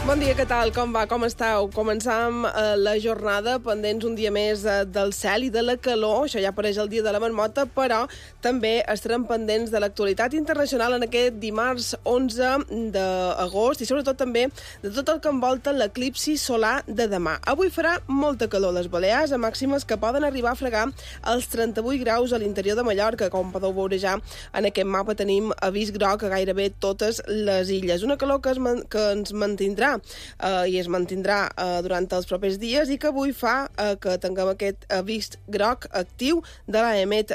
Bon dia, què tal? Com va? Com esteu? Començam la jornada pendents un dia més del cel i de la calor. Això ja apareix el dia de la marmota, però també estarem pendents de l'actualitat internacional en aquest dimarts 11 d'agost i sobretot també de tot el que envolta l'eclipsi solar de demà. Avui farà molta calor a les Balears, a màximes que poden arribar a fregar els 38 graus a l'interior de Mallorca. Com podeu veure ja en aquest mapa tenim avís groc a gairebé totes les illes. Una calor que ens mantindrà i es mantindrà durant els propers dies i que avui fa que tinguem aquest avís groc actiu de l'EMET,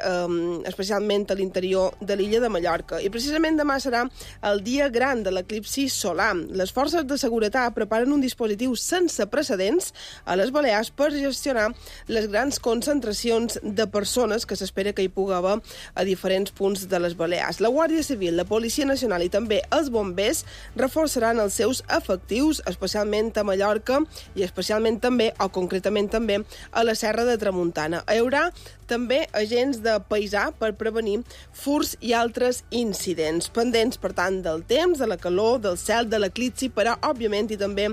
especialment a l'interior de l'illa de Mallorca. I precisament demà serà el dia gran de l'eclipsi solar. Les forces de seguretat preparen un dispositiu sense precedents a les Balears per gestionar les grans concentracions de persones que s'espera que hi pugui haver a diferents punts de les Balears. La Guàrdia Civil, la Policia Nacional i també els bombers reforçaran els seus efectius, especialment a Mallorca i especialment també, o concretament també, a la Serra de Tramuntana. Hi haurà també agents de paisà per prevenir furts i altres incidents. Pendents, per tant, del temps, de la calor, del cel, de l'eclipsi, però, òbviament, i també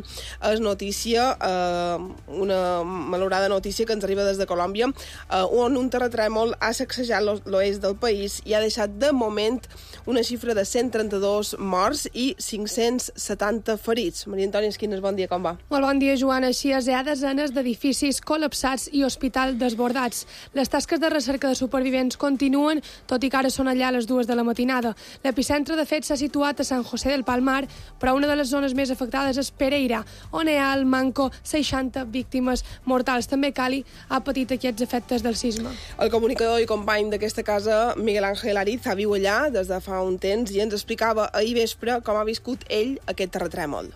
és notícia, una malorada notícia que ens arriba des de Colòmbia, on un terratrèmol ha sacsejat l'oest del país i ha deixat, de moment, una xifra de 132 morts i 570 ferits. Maria Antònia Esquines, bon dia, com va? Molt bon dia, Joana. Així és, hi ha desenes d'edificis col·lapsats i hospitals desbordats. Les tasques de recerca de supervivents continuen, tot i que ara són allà a les 2 de la matinada. L'epicentre, de fet, s'ha situat a Sant José del Palmar, però una de les zones més afectades és Pereira, on hi ha al manco 60 víctimes mortals. També Cali ha patit aquests efectes del sisme. El comunicador i company d'aquesta casa, Miguel Ángel Ariza, viu allà des de fa un temps i ens explicava ahir vespre com ha viscut ell aquest terratrèmol.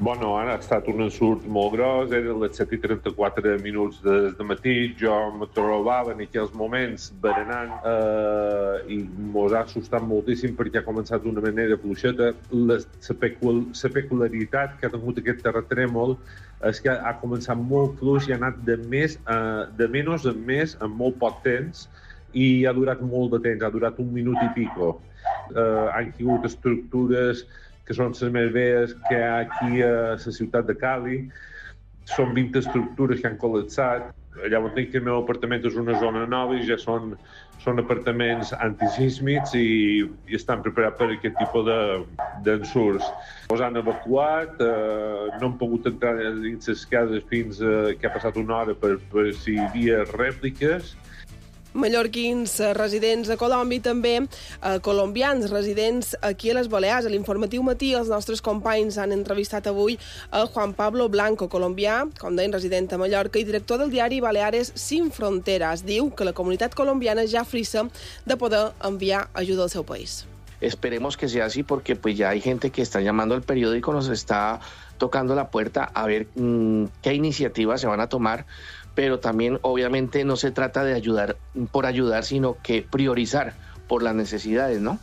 Bueno, ha estat un ensurt molt gros, eren les 7:34 del matí, jo me trobava en aquells moments berenant i mos ha assustat moltíssim perquè ha començat d'una manera fluixeta. La peculiaritat que ha tingut aquest terratrèmol és que ha començat molt fluix i ha anat de menys en més en molt poc temps i ha durat molt de temps, ha durat un minut i pico. Han caigut estructures que són les més velles que hi ha aquí a la ciutat de Cali. Són 20 estructures que han col·lapsat. Allà on tinc el meu apartament és una zona nova i ja són apartaments antisísmics i estan preparats per aquest tipus d'ensurts. Els han evacuat, no han pogut entrar dins les cases fins que ha passat una hora per si hi havia rèpliques. Mallorquins residents a Colòmbia i també colombians residents aquí a les Balears. A l'informatiu matí els nostres companys han entrevistat avui a Juan Pablo Blanco, colombià, com deien, resident a Mallorca i director del diari Baleares Sin Fronteras. Diu que la comunitat colombiana ja frissa de poder enviar ajuda al seu país. Esperemos que sea así porque pues ya hay gente que está llamando al periódico, nos está tocando la puerta a ver qué iniciativas se van a tomar, pero también obviamente no se trata de ayudar por ayudar, sino que priorizar por las necesidades, ¿no?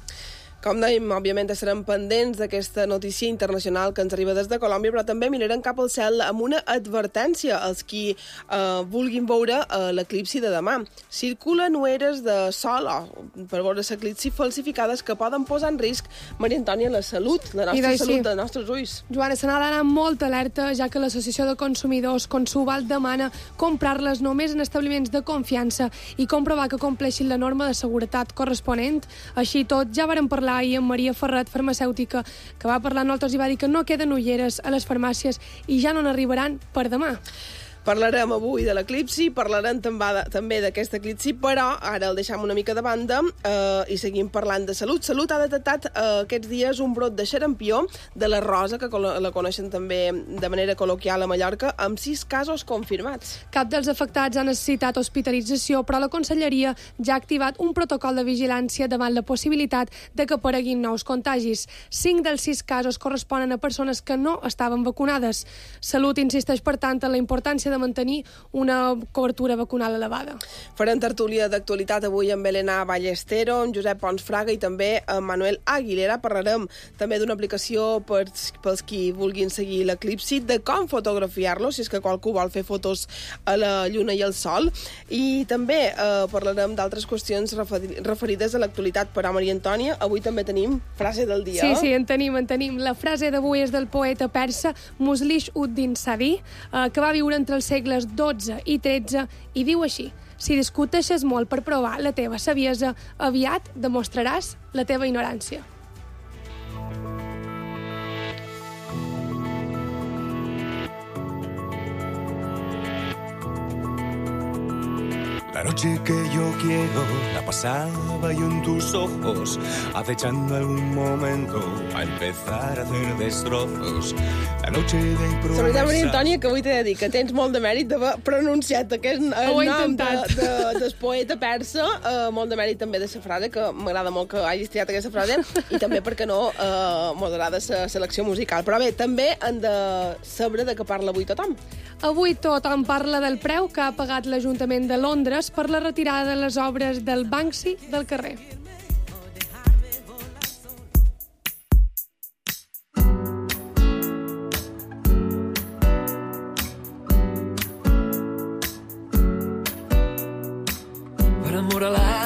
Com dèiem, òbviament estarem pendents d'aquesta notícia internacional que ens arriba des de Colòmbia, però també mirarem cap al cel amb una advertència als qui vulguin veure l'eclipsi de demà. Circulen nueres de sol per veure l'eclipsi falsificades que poden posar en risc, Maria Antònia, la salut, la nostra salut, dels nostres ulls. Joana, se n'ha d'anar molt alerta, ja que l'Associació de Consumidors Consubal demana comprar-les només en establiments de confiança i comprovar que compleixin la norma de seguretat corresponent. Així tot, ja vàrem parlar ahir amb Maria Ferret, farmacèutica, que va parlar amb nosaltres i va dir que no queden ulleres a les farmàcies i ja no n'arribaran per demà. Parlarem avui de l'eclipsi, parlarem també d'aquest eclipsi, però ara el deixam una mica de banda i seguim parlant de salut. Salut ha detectat aquests dies un brot de xarampió de la rosa, que la coneixen també de manera col·loquial a Mallorca, amb 6 casos confirmats. Cap dels afectats ha necessitat hospitalització, però la Conselleria ja ha activat un protocol de vigilància davant la possibilitat de que apareguin nous contagis. 5 dels 6 casos corresponen a persones que no estaven vacunades. Salut insisteix, per tant, en la importància de mantenir una cobertura vacunal elevada. Farem tertúlia d'actualitat avui amb Elena Ballestero, amb Josep Pons Fraga i també amb Manuel Aguilera. Parlarem també d'una aplicació pels qui vulguin seguir l'eclipsi, de com fotografiar-lo, si és que qualcú vol fer fotos a la lluna i al sol, i també parlarem d'altres qüestions referides a l'actualitat. Però, Maria Antònia, avui també tenim frase del dia. Sí, en tenim. La frase d'avui és del poeta persa Muslish-ud-Din Sadi, que va viure entre els segles XII i XIII, i diu així: si discuteixes molt per provar la teva saviesa, aviat demostraràs la teva ignorància. La noche que yo quiero la pasaba yo en tus ojos, acechando algún momento a empezar a hacer destrozos. La noche de promesas... La veritat, Maria Antònia, que avui t'he de dir que tens molt de mèrit d'haver pronunciat aquest nom del poeta persa, molt de mèrit també de la frase, que m'agrada molt que hagis triat aquesta frase, i també, perquè no, m'agrada la selecció musical. Però bé, també hem de saber de què parla avui tothom. Avui tothom parla del preu que ha pagat l'Ajuntament de Londres per la retirada de les obres del Banksy del carrer.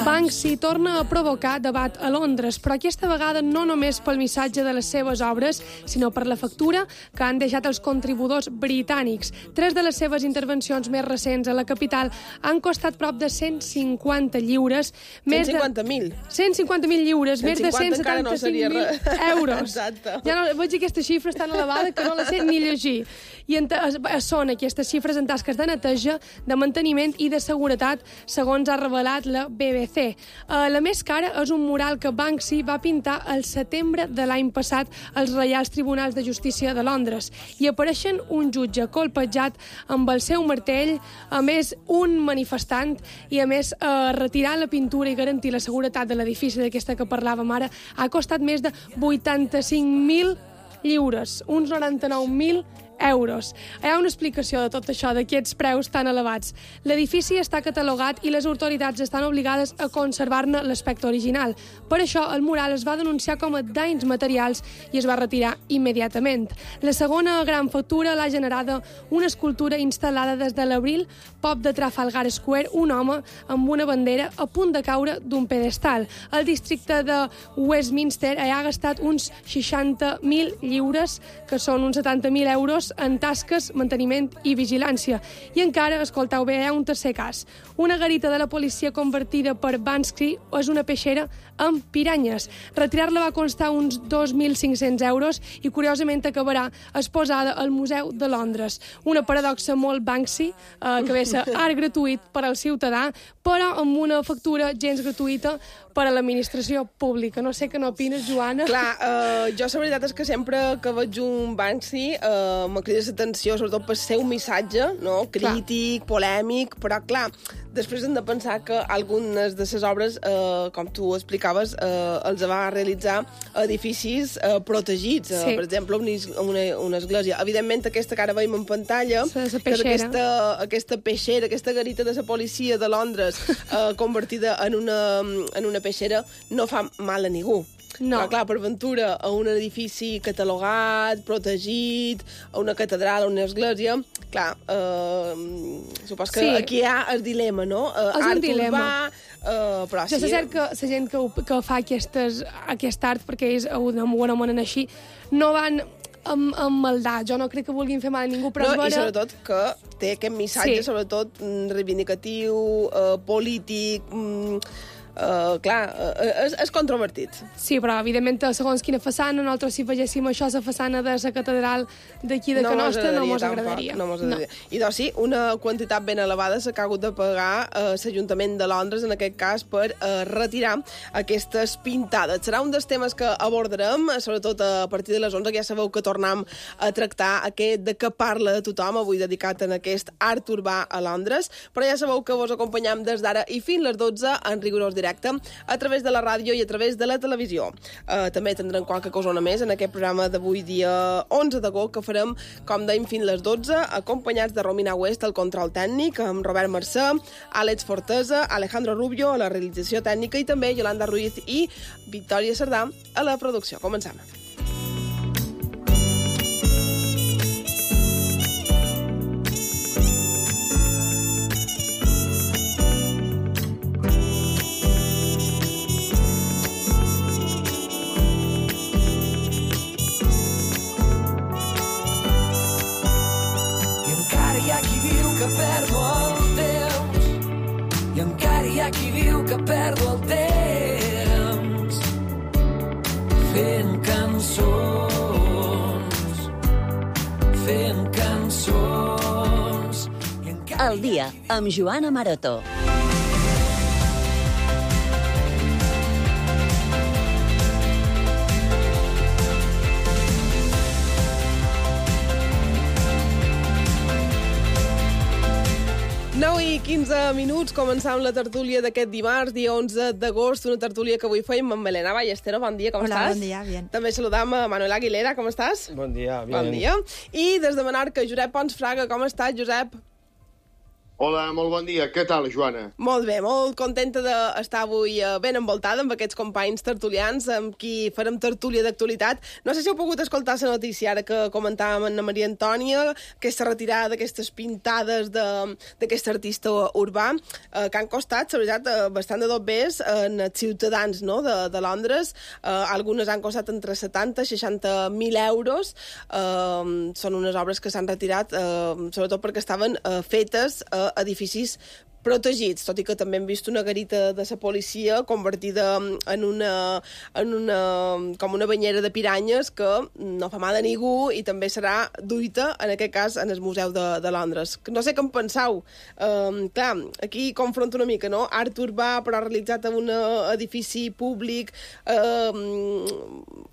Banksy torna a provocar debat a Londres, però aquesta vegada no només pel missatge de les seves obres, sinó per la factura que han deixat els contribuïdors britànics. 3 de les seves intervencions més recents a la capital han costat prop de 150 lliures. 150.000. 150.000 lliures, més de 175.000 euros. Exacte. Ja no, veig aquestes xifres tan elevades que no les sé ni llegir. I són aquestes xifres en tasques de neteja, de manteniment i de seguretat, segons ha revelat la BBC. La més cara és un mural que Banksy va pintar al setembre de l'any passat als Reials Tribunals de Justícia de Londres. I apareixen un jutge colpejat amb el seu martell, a més un manifestant, i a més retirar la pintura i garantir la seguretat de l'edifici d'aquesta que parlàvem ara ha costat més de 85.000 lliures, uns 99.000 euros. Hi ha una explicació de tot això, d'aquests preus tan elevats. L'edifici està catalogat i les autoritats estan obligades a conservar-ne l'aspecte original. Per això, el mural es va denunciar com a danys materials i es va retirar immediatament. La segona gran factura l'ha generada una escultura instal·lada des de l'abril, pop de Trafalgar Square, un home amb una bandera a punt de caure d'un pedestal. El districte de Westminster ha gastat uns 60.000 lliures, que són uns 70.000 euros, en tasques, manteniment i vigilància. I encara, escolteu bé, hi ha un tercer cas. Una garita de la policia convertida per Banksy és una peixera amb piranyes. Retirar-la va costar uns 2.500 euros i, curiosament, acabarà exposada al Museu de Londres. Una paradoxa molt Banksy, que ve a ser art gratuït per al ciutadà, però amb una factura gens gratuïta per a l'administració pública. No sé què n'opines, Joana. Clar, jo la veritat és que sempre que veig un Banksy me crida l'atenció, sobretot per ser un missatge, no? Crític, polèmic, però clar, després hem de pensar que algunes de les obres, com tu explicaves, els va realitzar edificis protegits, per exemple, una església. Evidentment, aquesta que ara veiem en pantalla, aquesta peixera, aquesta garita de la policia de Londres convertida en una peixera, no fa mal a ningú. No. Però, clar, per ventura, a un edifici catalogat, protegit, a una catedral, a una església, clar, supos que aquí hi ha el dilema, no? És un dilema. Però sí. Jo sé que la gent que fa aquest art, perquè és d'una bona manera així, no van amb maldat. Jo no crec que vulguin fer mal a ningú, però no, i sobretot que té aquest missatge, sobretot reivindicatiu, polític... clar, és controvertit. Sí, però evidentment segons quina façana, nosaltres si vegéssim això a la façana de la catedral d'aquí de Can Nostra no mos agradaria. No mos agradaria. I doncs sí, una quantitat ben elevada s'ha hagut de pagar l'Ajuntament de Londres, en aquest cas, per retirar aquestes pintades. Serà un dels temes que abordarem, sobretot a partir de les 11, que ja sabeu que tornem a tractar aquest de què parla de tothom, avui dedicat en aquest art urbà a Londres, però ja sabeu que vos acompanyam des d'ara i fins les 12 en rigorós directe directe a través de la ràdio i a través de la televisió. També tindrem qualque cosona més en aquest programa d'avui, dia 11 d'agost, que farem, com dèiem, fins les 12, acompanyats de Romina West al control tècnic, amb Robert Mercè, Àlex Fortesa, Alejandro Rubio a la realització tècnica i també Yolanda Ruiz i Victòria Cerdà a la producció. Comencem. Perdo el temps fent cançons. El dia amb Joana Maroto. I 15 minuts, començam la tertúlia d'aquest dimarts, dia 11 d'agost, una tertúlia que avui feim amb Helena Ballestero. Bon dia, com estàs? Hola, bon dia, bien. També saludam a Manuel Aguilera, com estàs? Bon dia, bien. Bon dia. I des de Menorca, Josep Pons Fraga, com estàs, Josep? Hola, molt bon dia. Què tal, Joana? Molt bé, molt contenta d'estar avui ben envoltada amb aquests companys tertulians amb qui farem tertúlia d'actualitat. No sé si heu pogut escoltar la notícia ara que comentàvem amb Maria Antònia, aquesta retirada d'aquestes pintades d'aquest artista urbà, que han costat, la veritat, bastant de dobbers en els ciutadans, no?, de Londres. Algunes han costat entre 70 i 60.000 euros. Són unes obres que s'han retirat, sobretot perquè estaven fetes edificis protegits, tot i que també hem vist una garita de la policia convertida en com una banyera de piranyes que no fa mal a ningú i també serà duita, en aquest cas, en el Museu de Londres. No sé què en penseu. Clar, aquí confronto una mica, no? Art urbà, però realitzat en un edifici públic,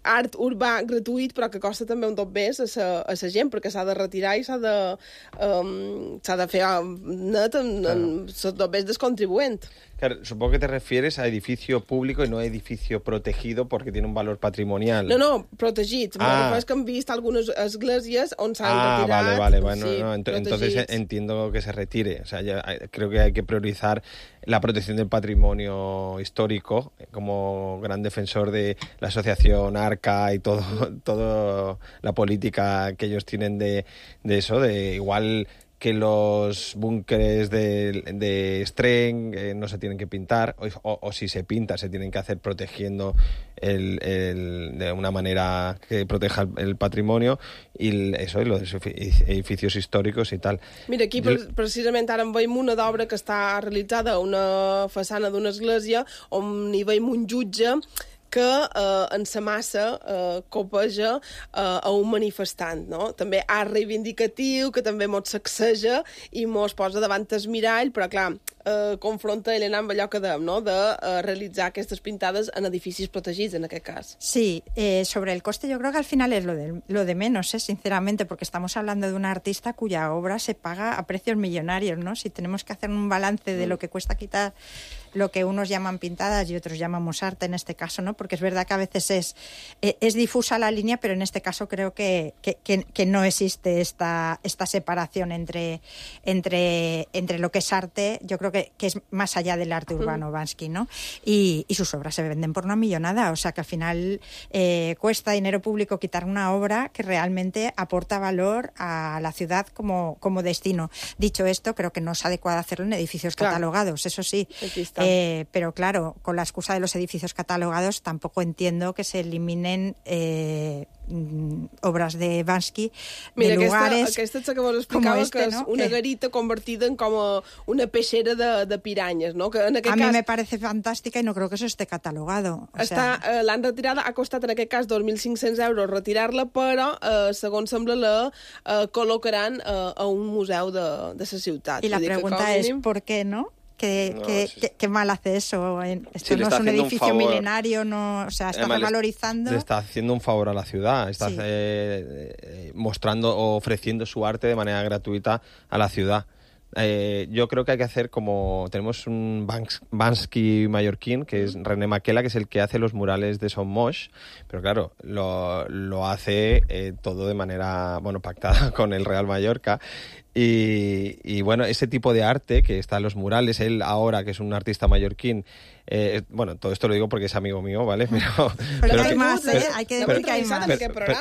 art urbà gratuït, però que costa també un tot més a la gent, perquè s'ha de retirar i s'ha de fer net en dos veces descontribuent. Claro, supongo que te refieres a edificio público y no a edificio protegido porque tiene un valor patrimonial. No, protegits. Es que han vist algunes esglésies on s'han retirat. Vale. Bueno, sí, no, entonces entiendo que se retire. O sea, creo que hay que priorizar la protección del patrimonio histórico como gran defensor de la asociación ARCA y todo la política que ellos tienen de eso, de igual que los búnkeres de Streng no se tienen que pintar, o si se pinta se tienen que hacer protegiendo de una manera que proteja el patrimonio y los edificios históricos y tal. Mira, aquí precisament ara en veiem una d'obra que està realitzada a una façana d'una església on hi veiem un jutge que en sa massa copeja a un manifestant, no? També art reivindicatiu, que també mos sacseja i mos posa davant el mirall, però clar, confronta Helena amb allò que dèiem, no?, de realitzar aquestes pintades en edificis protegits, en aquest cas. Sí, sobre el coste yo creo que al final es lo de menos, sinceramente, porque estamos hablando de un artista cuya obra se paga a precios millonarios, ¿no? Si tenemos que hacer un balance de lo que cuesta quitar lo que unos llaman pintadas y otros llamamos arte en este caso, ¿no? Porque es verdad que a veces es difusa la línea, pero en este caso creo que no existe esta separación entre lo que es arte. Yo creo que es más allá del arte urbano Banksy, ¿no? Y sus obras se venden por una millonada, o sea que al final cuesta dinero público quitar una obra que realmente aporta valor a la ciudad como destino. Dicho esto, creo que no es adecuado hacerlo en edificios catalogados, eso sí. Pero claro, con la excusa de los edificios catalogados tampoco entiendo que se eliminen obras de Banksy de lugares aquesta que vos explicava, como que és una garita convertida en com una peixera de piranyes, no? Que en aquest mí me parece fantástica y no creo que eso esté catalogado. L'han retirada, ha costat en aquest cas 2.500 euros retirar-la, però segons sembla la col·locaran a un museu de la ciutat. Y la pregunta es ¿por qué no? ¿Qué mal hace eso? Esto no es un edificio milenario, no, o sea, está revalorizando. Le está haciendo un favor a la ciudad, está mostrando o ofreciendo su arte de manera gratuita a la ciudad. yo creo que hay que hacer como... Tenemos un Banksy mallorquín, que es René Maquela, que es el que hace los murales de Son Moix, pero claro, lo hace todo de manera, pactada con el Real Mallorca. Y bueno, ese tipo de arte que está en los murales, él ahora, que es un artista mallorquín, todo esto lo digo porque es amigo mío, ¿vale? Pero hay más, hay que decir que hay más.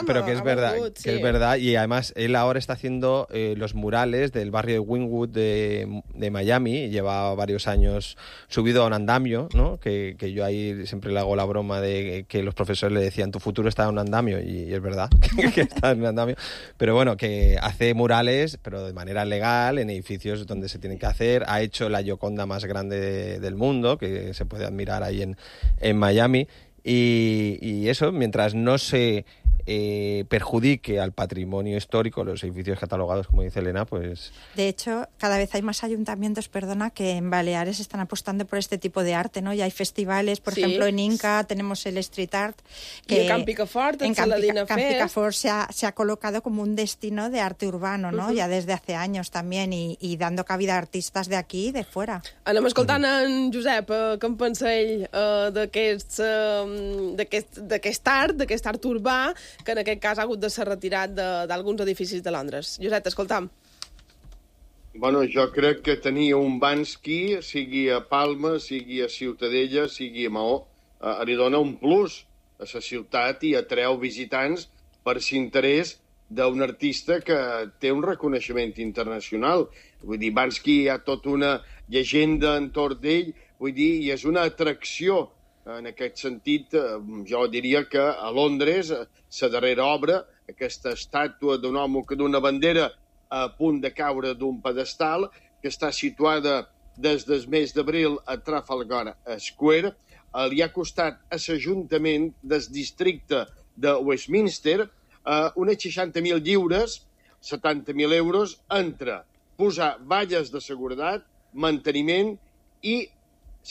Pero que es verdad, que es verdad, y además él ahora está haciendo los murales del barrio de Wynwood de Miami, y lleva varios años subido a un andamio, ¿no? Que yo ahí siempre le hago la broma de que los profesores le decían, tu futuro está en un andamio, y es verdad que está en un andamio, pero bueno, que hace murales, pero de manera legal, en edificios donde se tienen que hacer. Ha hecho la Gioconda más grande del mundo, que se puede admirar ahí en Miami, y eso, mientras no se perjudique al patrimonio histórico, los edificios catalogados, como dice Elena, pues... De hecho, cada vez hay más ayuntamientos, que en Baleares están apostando por este tipo de arte, ¿no? Y hay festivales, por ejemplo, en Inca tenemos el Street Art. Que en Picafort, en Picafort se ha colocado como un destino de arte urbano, ¿no? Ya desde hace años también, y dando cabida a artistas de aquí i de fuera. Anem escoltant en Josep, què en pensa ell d'aquest art urbà, que en aquest cas ha hagut de ser retirat d'alguns edificis de Londres. Josep, t'escoltam. Bueno, jo crec que tenir un Banksy, sigui a Palma, sigui a Ciutadella, sigui a Maó, li dona un plus a la ciutat i atreu visitants per l'interès d'un artista que té un reconeixement internacional. Vull dir, Banksy hi ha tota una llegenda entorn d'ell, vull dir, i és una atracció. En aquest sentit, jo diria que a Londres, la darrera obra, aquesta estàtua d'un home que d'una bandera a punt de caure d'un pedestal, que està situada des del mes d'abril a Trafalgar Square, li ha costat a l'Ajuntament del districte de Westminster unes 60.000 lliures, 70.000 euros, entre posar valles de seguretat, manteniment i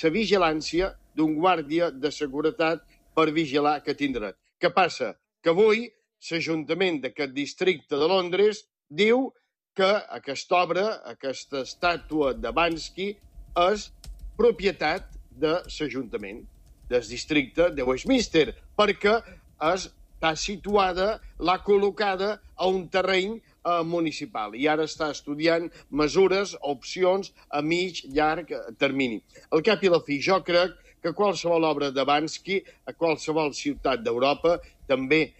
la vigilància d'un guàrdia de seguretat per vigilar aquest indret. Què passa? Que avui l'Ajuntament d'aquest districte de Londres diu que aquesta obra, aquesta estàtua de Banksy, és propietat de l'Ajuntament del districte de Westminster, perquè està situada, l'ha col·locada a un terreny municipal, i ara està estudiant mesures, opcions a mig, llarg termini. Al cap i la fi, jo crec que qualsevol obra de Banksy a qualsevol ciutat d'Europa, també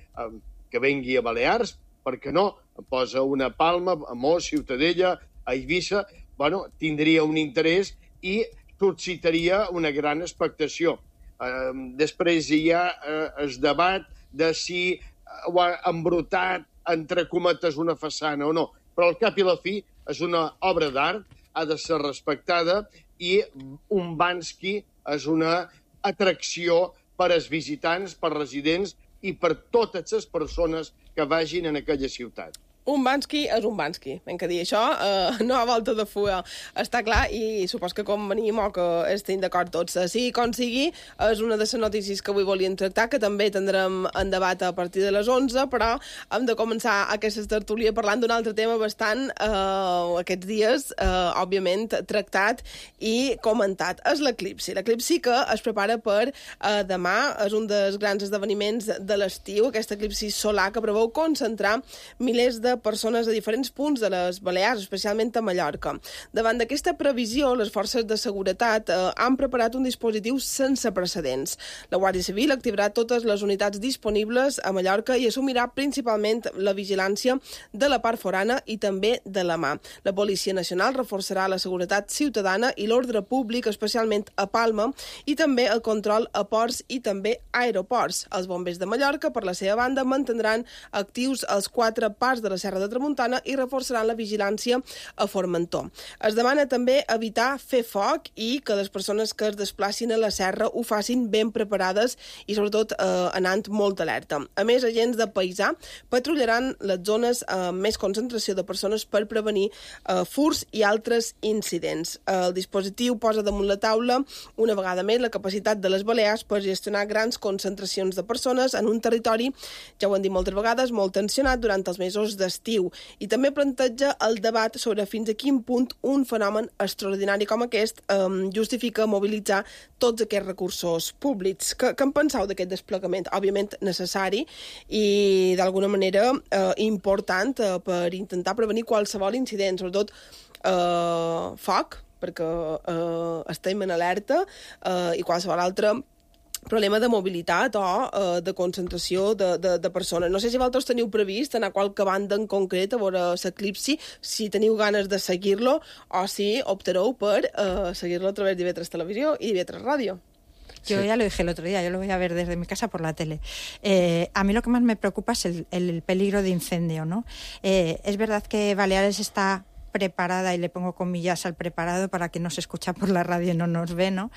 que vengui a Balears, perquè no, posa una Palma, a Mos, Ciutadella, a Eivissa, tindria un interès i suscitaria una gran expectació. Després hi ha el debat de si ho ha embrutat, entre cometes, una façana o no, però al cap i la fi és una obra d'art, ha de ser respectada, i un Banksy és una atracció per als visitants, per residents i per totes les persones que vagin en aquella ciutat. Un Banksy és un Banksy, hem que dir això, no a volta de fuga, està clar, i supos que convenim o que estem d'acord tots. Sigui com sigui, és una de les notícies que avui volíem tractar, que també tindrem en debat a partir de les 11, però hem de començar aquesta tertúlia parlant d'un altre tema bastant, aquests dies, òbviament, tractat i comentat. És l'eclipsi. L'eclipsi que es prepara per demà, és un dels grans esdeveniments de l'estiu, aquest eclipsi solar que preveu concentrar milers de persones a diferents punts de les Balears, especialment a Mallorca. Davant d'aquesta previsió, les forces de seguretat han preparat un dispositiu sense precedents. La Guàrdia Civil activarà totes les unitats disponibles a Mallorca i assumirà principalment la vigilància de la part forana i també de la mà. La Policia Nacional reforçarà la seguretat ciutadana i l'ordre públic, especialment a Palma, i també el control a ports i també aeroports. Els bombers de Mallorca, per la seva banda, mantindran actius els 4 parts de la Serra de Tramuntana i reforçaran la vigilància a Formentor. Es demana també evitar fer foc i que les persones que es desplacin a la serra ho facin ben preparades i sobretot anant molt alerta. A més, agents de paisà patrullaran les zones amb més concentració de persones per prevenir furts i altres incidents. El dispositiu posa damunt la taula una vegada més la capacitat de les Balears per gestionar grans concentracions de persones en un territori, ja ho hem dit moltes vegades, molt tensionat durant els mesos de d'estiu. I també planteja el debat sobre fins a quin punt un fenomen extraordinari com aquest justifica mobilitzar tots aquests recursos públics. Què en penseu d'aquest desplegament? Òbviament necessari i d'alguna manera important per intentar prevenir qualsevol incident, sobretot foc, perquè estem en alerta, i qualsevol altre problema de mobilitat o de concentració de persones. No sé si vosaltres teniu previst anar a qualque banda en concret a veure l'eclipsi, si teniu ganes de seguir-lo o si optareu per seguir-lo a través d'IV3 Televisió i d'IV3 Ràdio. Yo ya lo dije el otro día, yo lo voy a ver desde mi casa por la tele. A mí lo que más me preocupa es el peligro de incendio, ¿no? Es verdad que Baleares está preparada, y le pongo comillas al preparado para que no se escucha por la radio y no nos ve, ¿no?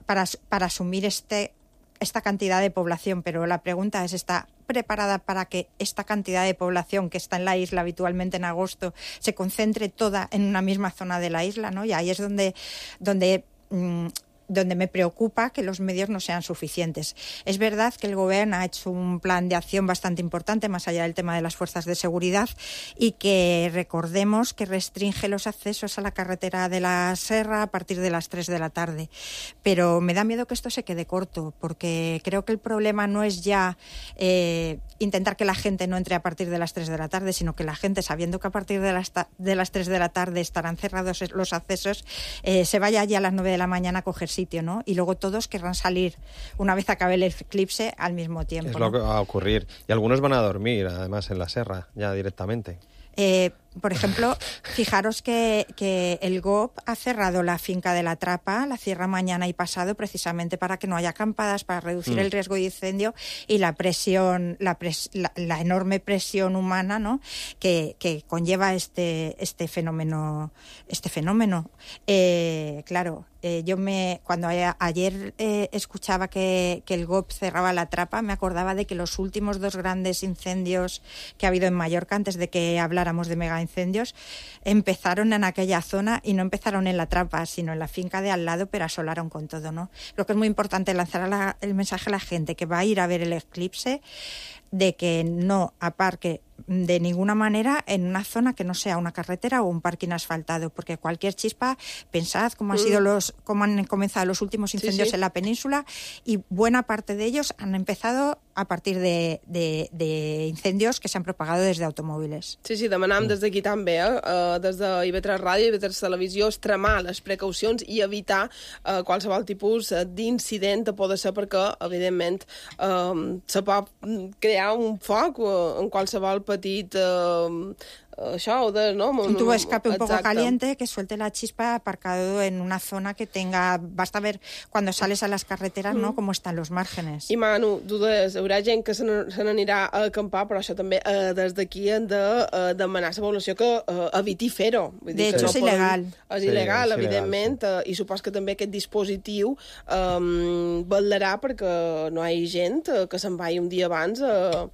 Para asumir esta cantidad de población, pero la pregunta es, ¿está preparada para que esta cantidad de población que está en la isla habitualmente en agosto se concentre toda en una misma zona de la isla, ¿no? Y ahí es donde me preocupa que los medios no sean suficientes. Es verdad que el Gobierno ha hecho un plan de acción bastante importante, más allá del tema de las fuerzas de seguridad, y que recordemos que restringe los accesos a la carretera de la Serra a partir de las 3 de la tarde. Pero me da miedo que esto se quede corto, porque creo que el problema no es ya intentar que la gente no entre a partir de las 3 de la tarde, sino que la gente, sabiendo que a partir de las 3 de la tarde estarán cerrados los accesos, se vaya ya a las 9 de la mañana a coger sitio, ¿no? Y luego todos querrán salir una vez acabe el eclipse al mismo tiempo. Es lo que va a ocurrir. Y algunos van a dormir, además, en la Serra, ya directamente. Por ejemplo, fijaros que el GOP ha cerrado la finca de la Trapa, la cierra mañana y pasado, precisamente para que no haya acampadas, para reducir el riesgo de incendio y la presión, la enorme presión humana, ¿no?, que conlleva este fenómeno. Claro. Cuando ayer escuchaba que el GOP cerraba la Trapa, me acordaba de que los últimos 2 grandes incendios que ha habido en Mallorca, antes de que habláramos de megaincendios, empezaron en aquella zona y no empezaron en la Trapa, sino en la finca de al lado, pero asolaron con todo, ¿no? Creo que es muy importante lanzar el mensaje a la gente que va a ir a ver el eclipse, de que no aparque de ninguna manera en una zona que no sea una carretera o un parking asfaltado, porque cualquier chispa, pensad cómo han comenzado los últimos incendios en la península, y buena parte de ellos han empezado a partir de incendios que s'han propagado des d'automòbils. Sí, demanam des d'aquí també, des de IV3 Ràdio i IV3 Televisió, extremar les precaucions i evitar qualsevol tipus d'incident a poder ser, perquè, evidentment, se pot crear un foc en qualsevol petit un tubo de escape un poco caliente que suelte la chispa aparcado en una zona que tenga... Basta ver cuando sales a las carreteras, ¿no?, cómo están los márgenes. I Manu, tu deies, hi haurà gent que se n'anirà a acampar, però això també des d'aquí hem de demanar a la població que eviti fer-ho. De hecho, és il·legal. És il·legal, evidentment, i supos que també aquest dispositiu vetllarà perquè no hi hagi gent que se'n vagi un dia abans a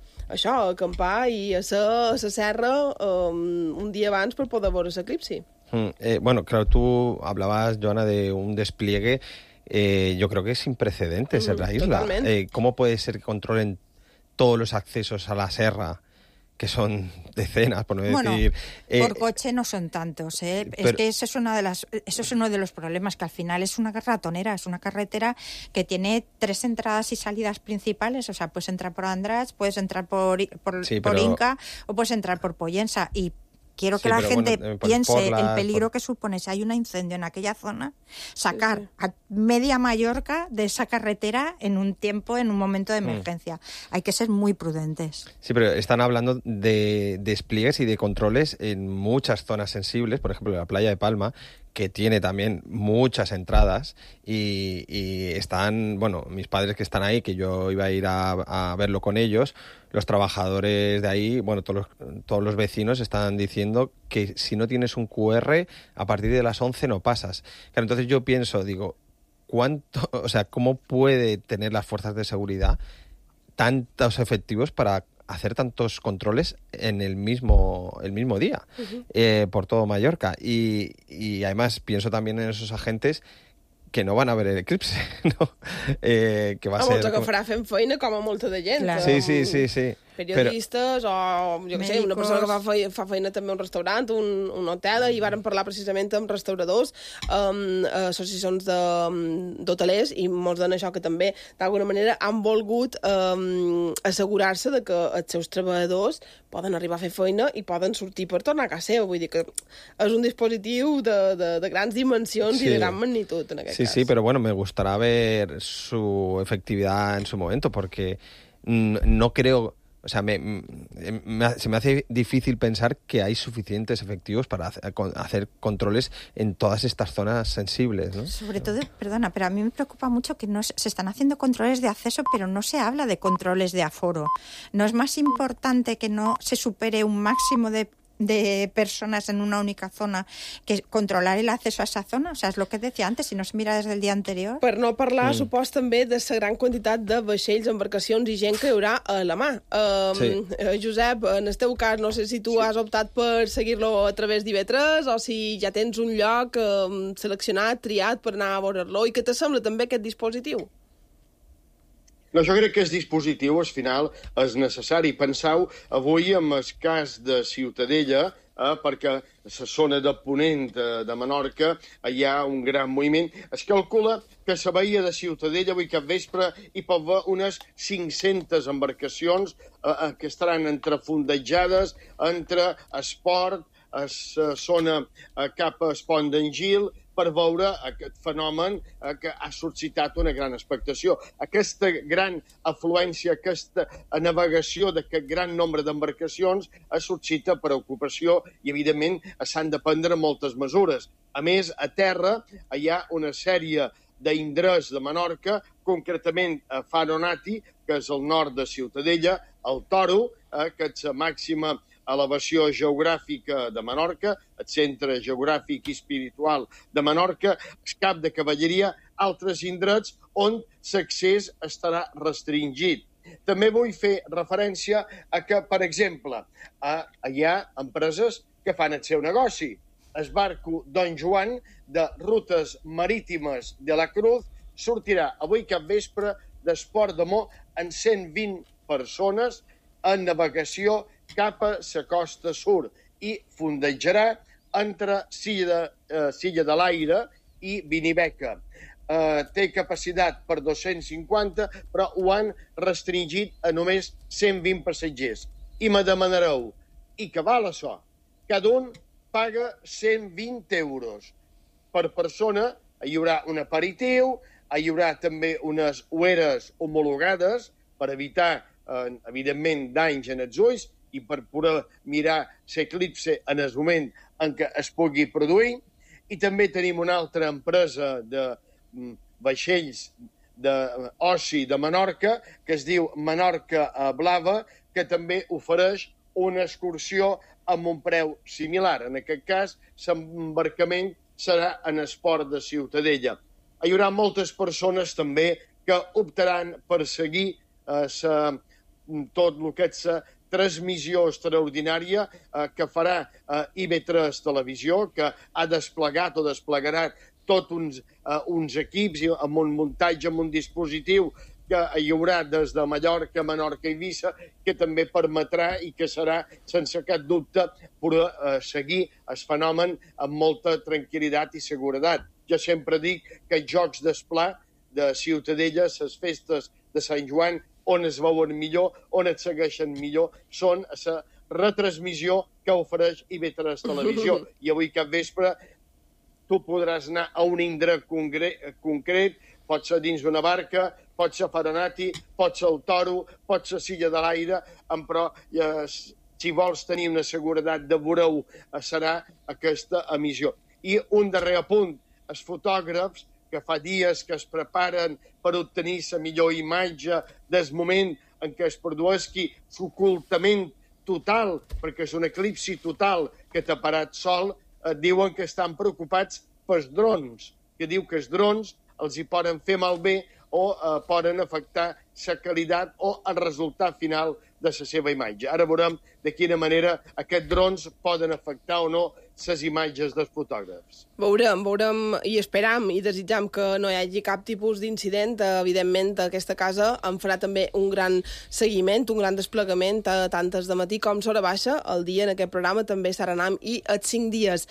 acampar i a la serra un día abans per poder veure l'eclipsi. Bueno, claro, tú hablabas, Joana, de un despliegue, yo creo que es sin precedentes en la isla. ¿Cómo puede ser que controlen todos los accesos a la serra, que son decenas, por no decir... por coche no son tantos, ¿eh? Es que eso es uno de los problemas, que al final es una ratonera, es una carretera que tiene 3 entradas y salidas principales, o sea, puedes entrar por Andratx, puedes entrar por Inca o puedes entrar por Pollensa, y quiero que la gente piense el peligro que supone si hay un incendio en aquella zona, sacar a media Mallorca de esa carretera en un momento de emergencia. Hay que ser muy prudentes. Sí, pero están hablando de despliegues y de controles en muchas zonas sensibles, por ejemplo, la playa de Palma, que tiene también muchas entradas y están, mis padres que están ahí, que yo iba a ir a verlo con ellos, los trabajadores de ahí, todos los vecinos están diciendo que si no tienes un QR, a partir de las 11 no pasas. Claro, entonces yo pienso, ¿cómo puede tener las fuerzas de seguridad tantos efectivos para hacer tantos controles en el mismo día por todo Mallorca? Y además pienso también en esos agentes que no van a ver el eclipse, ¿no? Que va a ser... que farà fent feina com a molta de gent. Claro. Sí. periodistes o, jo què sé, una persona que fa feina també a un restaurant, un hotel, i varen parlar precisament amb restauradors, associacions d'hotelers, i molts d'en això que també, d'alguna manera, han volgut assegurar-se de que els seus treballadors poden arribar a fer feina i poden sortir per tornar a casa seva. Vull dir que és un dispositiu de grans dimensions i de gran magnitud, en aquest cas. Sí, pero bueno, me gustará ver su efectividad en su momento, porque no creo... O sea, se me hace difícil pensar que hay suficientes efectivos para hacer controles en todas estas zonas sensibles, ¿no? Sobre todo, perdona, pero a mí me preocupa mucho que se están haciendo controles de acceso, pero no se habla de controles de aforo. ¿No es más importante que no se supere un máximo de personas en una única zona que controlar el acceso a esa zona? O sea, és el que decía antes, si no es mira des del dia anterior. Per no parlar, supos també de la gran quantitat de vaixells, embarcacions i gent que hi haurà a la mà. Josep, en el teu cas, no sé si tu has optat per seguir-lo a través d'IV3 o si ja tens un lloc seleccionat, triat per anar a veure-lo. I què te sembla també aquest dispositiu? No, jo crec que el dispositiu, al final, és necessari. Penseu, avui, en el cas de Ciutadella, perquè a la zona de Ponent de Menorca hi ha un gran moviment. Es calcula que a la bahia de Ciutadella avui cap vespre hi pot haver unes 500 embarcacions que estaran entrefondejades entre esport, a la zona cap a Pont d'en Gil, per veure aquest fenomen que ha suscitat una gran expectació. Aquesta gran afluència, aquesta navegació d'aquest gran nombre d'embarcacions suscita preocupació i, evidentment, s'han de prendre moltes mesures. A més, a terra hi ha una sèrie d'indrets de Menorca, concretament a Faronati, que és al nord de Ciutadella, el Toro, que és la màxima elevació geogràfica de Menorca, el centre geogràfic i espiritual de Menorca, el cap de cavalleria, altres indrets on l'accés estarà restringit. També vull fer referència a que, per exemple, hi ha empreses que fan el seu negoci. El barco Don Joan de rutes marítimes de la Cruz sortirà avui cap vespre d'Esport de Mó amb 120 persones en navegació cap a la costa sud i fondejarà entre Silla de l'Aire i Vinibeca. Té capacitat per 250, però ho han restringit a només 120 passatgers. I me demanareu, i què val això? Cada un paga 120 euros. Per persona hi haurà un aperitiu, hi haurà també unes ueres homologades per evitar, evidentment, danys en els ulls i per poder mirar l'eclipse en el moment en què es pugui produir. I també tenim una altra empresa de vaixells d'oci de Menorca, que es diu Menorca Blava, que també ofereix una excursió amb un preu similar. En aquest cas, l'embarcament serà en el port de Ciutadella. Hi haurà moltes persones també que optaran per seguir tot el que és la transmissió extraordinària que farà IV3 Televisió, que ha desplegat o desplegarà tots uns equips amb un muntatge, amb un dispositiu que hi haurà des de Mallorca, Menorca i Eivissa, que també permetrà i que serà, sense cap dubte, poder seguir el fenomen amb molta tranquil·litat i seguretat. Jo sempre dic que els Jocs d'Esplà de Ciutadella, les festes de Sant Joan, on es veuen millor, on es segueixen millor, són la retransmissió que ofereix IV3 Televisió. I avui cap vespre tu podràs anar a un indret concret, pot ser dins d'una barca, pot ser Faronati, pot ser el Toro, pot ser Silla de l'Aire, però si vols tenir una seguretat de veure-ho serà aquesta emissió. I un darrer apunt, els fotògrafs que fa dies que es preparen per obtenir la millor imatge del moment en què es produeixi l'ocultament total, perquè és un eclipsi total que t'ha parat sol, diuen que estan preocupats pels drons, que diu que els drons els hi poden fer malbé o poden afectar la qualitat o el resultat final de la seva imatge. Ara veurem de quina manera aquests drons poden afectar o no les imatges dels fotògrafs. Veurem i esperam i desitjam que no hi hagi cap tipus d'incident. Evidentment, aquesta casa en farà també un gran seguiment, un gran desplegament tant des de matí com s'hora baixa. El dia en aquest programa també serà anam i els 5 dies.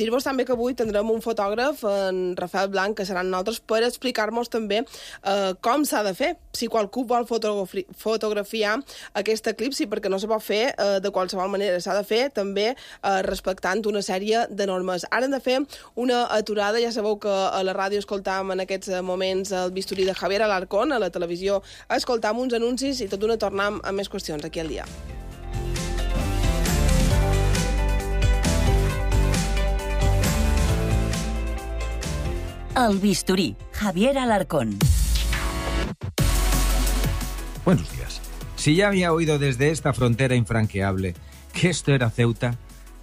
Dir-vos també que avui tindrem un fotògraf, en Rafael Blanc, que serà nosaltres, per explicar-nos també com s'ha de fer. Si qualcú vol fotografiar aquest eclipsi, perquè no se pot fer de qualsevol manera, s'ha de fer també respectant una sèrie de normes. Ara hem de fer una aturada. Ja sabeu que a la ràdio escoltàvem en aquests moments el bisturí de Javier Alarcón, a la televisió escoltàvem uns anuncis i tot d'una tornem amb més qüestions aquí al dia. El bisturí, Javier Alarcón. Buenos días. Si ya había oído desde esta frontera infranqueable que esto era Ceuta,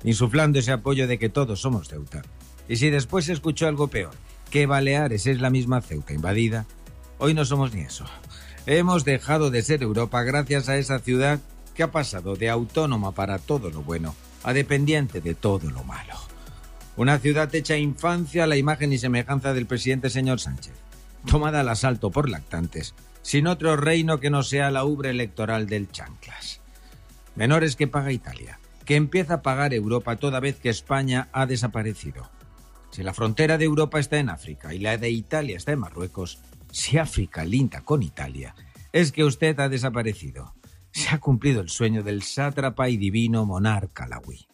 insuflando ese apoyo de que todos somos Ceuta, y si después se escuchó algo peor, que Baleares es la misma Ceuta invadida, hoy no somos ni eso. Hemos dejado de ser Europa gracias a esa ciudad que ha pasado de autónoma para todo lo bueno a dependiente de todo lo malo. Una ciudad hecha infancia a la imagen y semejanza del presidente señor Sánchez, tomada al asalto por lactantes, sin otro reino que no sea la ubre electoral del chanclas. Menores que paga Italia, que empieza a pagar Europa toda vez que España ha desaparecido. Si la frontera de Europa está en África y la de Italia está en Marruecos, si África linda con Italia, es que usted ha desaparecido. Se ha cumplido el sueño del sátrapa y divino monarca alauí.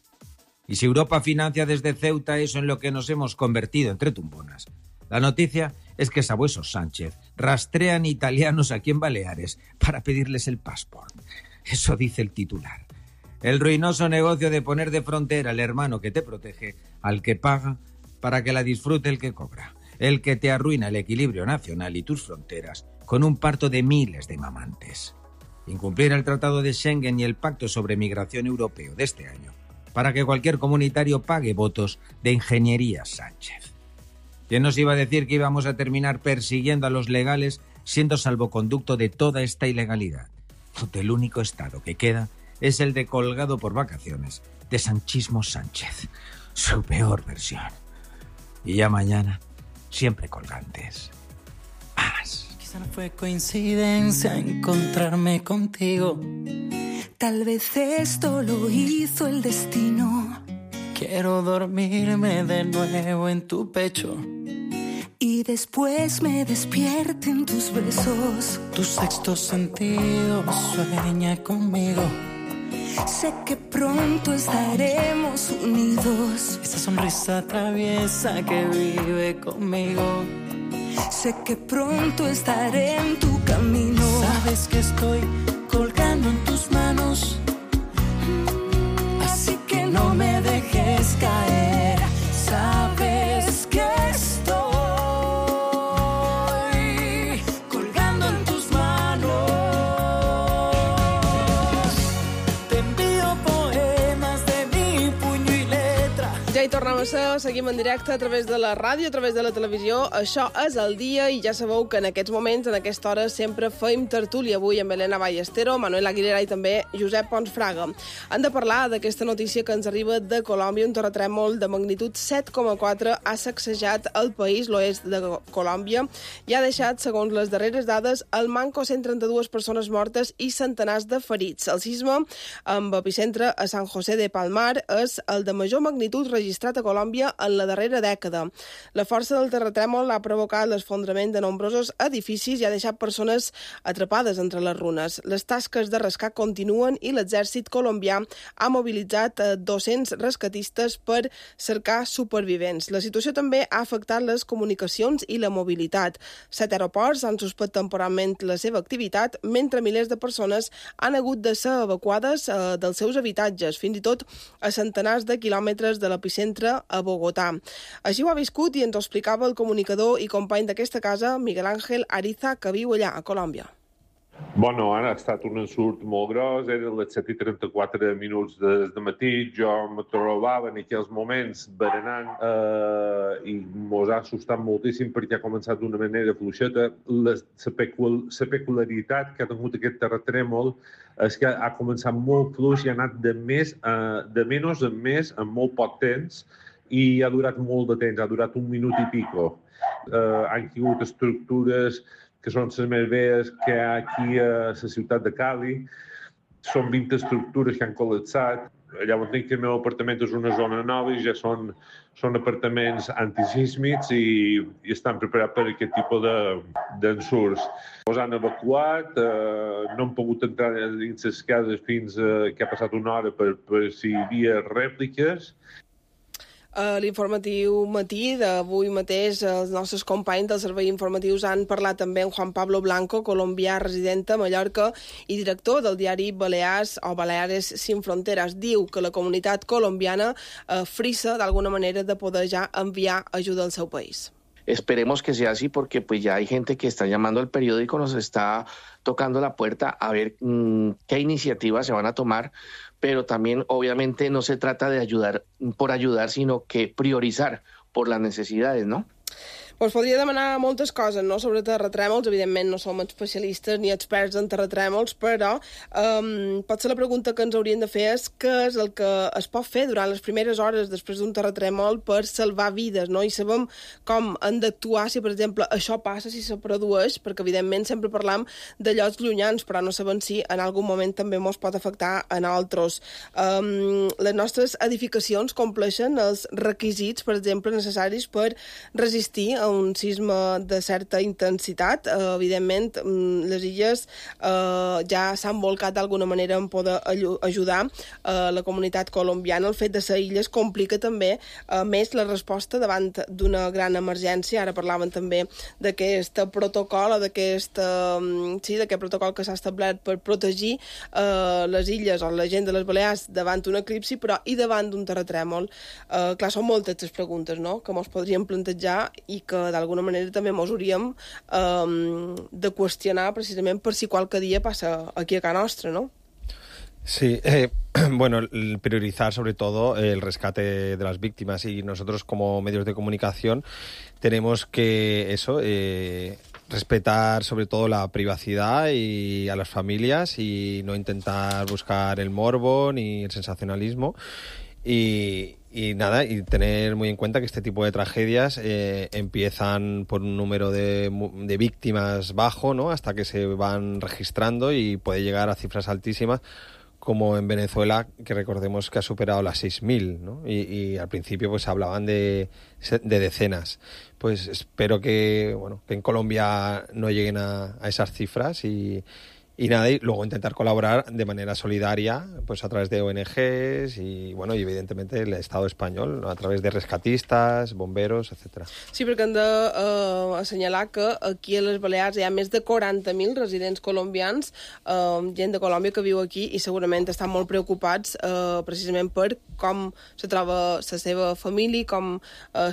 Y si Europa financia desde Ceuta eso en lo que nos hemos convertido entre tumbonas, la noticia es que Sabuesos Sánchez rastrean italianos aquí en Baleares para pedirles el pasaporte. Eso dice el titular. El ruinoso negocio de poner de frontera al hermano que te protege, al que paga, para que la disfrute el que cobra. El que te arruina el equilibrio nacional y tus fronteras con un parto de miles de mamantes. Incumplir el Tratado de Schengen y el Pacto sobre Migración Europeo de este año, para que cualquier comunitario pague votos de Ingeniería Sánchez. ¿Quién nos iba a decir que íbamos a terminar persiguiendo a los legales siendo salvoconducto de toda esta ilegalidad? Donde el único estado que queda es el de colgado por vacaciones de Sanchismo Sánchez, su peor versión. Y ya mañana, siempre colgantes. ¡Más! Quizá no fue coincidencia encontrarme contigo. Tal vez esto lo hizo el destino. Quiero dormirme de nuevo en tu pecho y después me despierten tus besos. Tu sexto sentido sueña conmigo. Sé que pronto estaremos unidos. Esa sonrisa traviesa que vive conmigo. Sé que pronto estaré en tu camino. Sabes que estoy colgando en tus manos, así que no me dejes caer. Sabes que estoy colgando en tus manos. Te envío poemas de mi puño y letra. Ja hi tornem a ser, seguim en directe a través de la ràdio, a través de la televisió. Això és el dia i ja sabeu que en aquests moments, en aquesta hora, sempre fem tertúlia. Avui amb Elena Ballestero, Manuel Aguilera i també Josep Pons Fraga. Han de parlar d'aquesta notícia que ens arriba de Colòmbia. Un terratrèmol de magnitud 7,4 ha sacsejat el país, l'oest de Colòmbia, i ha deixat, segons les darreres dades, al manco 132 persones mortes i centenars de ferits. El sisme, amb epicentre a San José de Palmar, és el de major magnitud registrat a Colòmbia en la darrera dècada. La força del terratrèmol ha provocat l'esfondrament de nombrosos edificis i ha deixat persones atrapades entre les runes. Les tasques de rescat continuen i l'exèrcit colombià ha mobilitzat 200 rescatistes per cercar supervivents. La situació també ha afectat les comunicacions i la mobilitat. 7 aeroports han suspès temporalment la seva activitat, mentre milers de persones han hagut de ser evacuades dels seus habitatges, fins i tot a centenars de quilòmetres de l'epicentre a Bogotà. Així ho ha viscut i ens ho explicava el comunicador i company d'aquesta casa, Miguel Ángel Ariza, que viu allà, a Colòmbia. Bueno, ara ha estat un ensurt molt gros, eren les 7:34 minuts del matí, jo me trobava en aquells moments berenant i mos ha assustat moltíssim perquè ha començat d'una manera fluixeta. La peculiaritat que ha tingut aquest terratrèmol és que ha començat molt fluix i ha anat de menys en més en molt poc temps i ha durat molt de temps, ha durat 1 minut i pico. Han caigut estructures que són les més velles que hi ha aquí a la ciutat de Cali. Són 20 estructures que han col·lapsat. Allà on tinc el meu apartament és una zona nova i ja són apartaments antisísmics i estan preparats per aquest tipus d'ensurts. Els han evacuat, no han pogut entrar dins les cases fins que ha passat una hora per si hi havia rèpliques. L'informatiu matí d'avui mateix, els nostres companys dels serveis informatius han parlat també amb Juan Pablo Blanco, colombià resident a Mallorca i director del diari Balears o Baleares Sin Fronteras. Diu que la comunitat colombiana frisa d'alguna manera de poder ja enviar ajuda al seu país. Esperemos que sea así porque pues ya hay gente que está llamando al periódico, nos está tocando la puerta a ver qué iniciativas se van a tomar, pero también obviamente no se trata de ayudar por ayudar, sino que priorizar por las necesidades, ¿no? Pues podria demanar moltes coses, no?, sobre terratrèmols. Evidentment no som especialistes ni experts en terratrèmols, però potser la pregunta que ens hauríem de fer és què és el que es pot fer durant les primeres hores després d'un terratrèmol per salvar vides, no? I sabem com han d'actuar si, per exemple, això passa, si se produeix, perquè evidentment sempre parlam de llocs llunyans, però no sabem si en algun moment també ens pot afectar a nosaltres. Les nostres edificacions compleixen els requisits, per exemple, necessaris per resistir a un sisme de certa intensitat. Evidentment, les illes ja s'han volcat d'alguna manera en poder ajudar la comunitat colombiana. El fet de ser illes complica també més la resposta davant d'una gran emergència. Ara parlaven també d'aquest protocol o d'aquest protocol que s'ha establert per protegir les illes o la gent de les Balears davant d'un eclipsi, però i davant d'un terratrèmol. Clar, són moltes les preguntes, no?, que ens podríem plantejar i que d'alguna manera també ens hauríem de qüestionar precisament per si qualque dia passa aquí a casa nostra, ¿no? Sí, bueno, priorizar sobre todo el rescate de las víctimas y nosotros como medios de comunicación tenemos que respetar sobre todo la privacidad y a las familias y no intentar buscar el morbo ni el sensacionalismo. Y tener muy en cuenta que este tipo de tragedias empiezan por un número de víctimas bajo, ¿no?, hasta que se van registrando y puede llegar a cifras altísimas, como en Venezuela, que recordemos que ha superado las 6.000, ¿no? Y al principio pues hablaban de decenas. Pues espero que en Colombia no lleguen a esas cifras y luego intentar colaborar de manera solidaria, pues a través de ONGs y evidentemente el Estado español, ¿no?, a través de rescatistas, bomberos, etcétera. Sí, perquè hem d'assenyalar que aquí a les Balears hi ha més de 40.000 residents colombians, gent de Colòmbia que viu aquí i segurament estan molt preocupats precisament per com se troba la seva família, com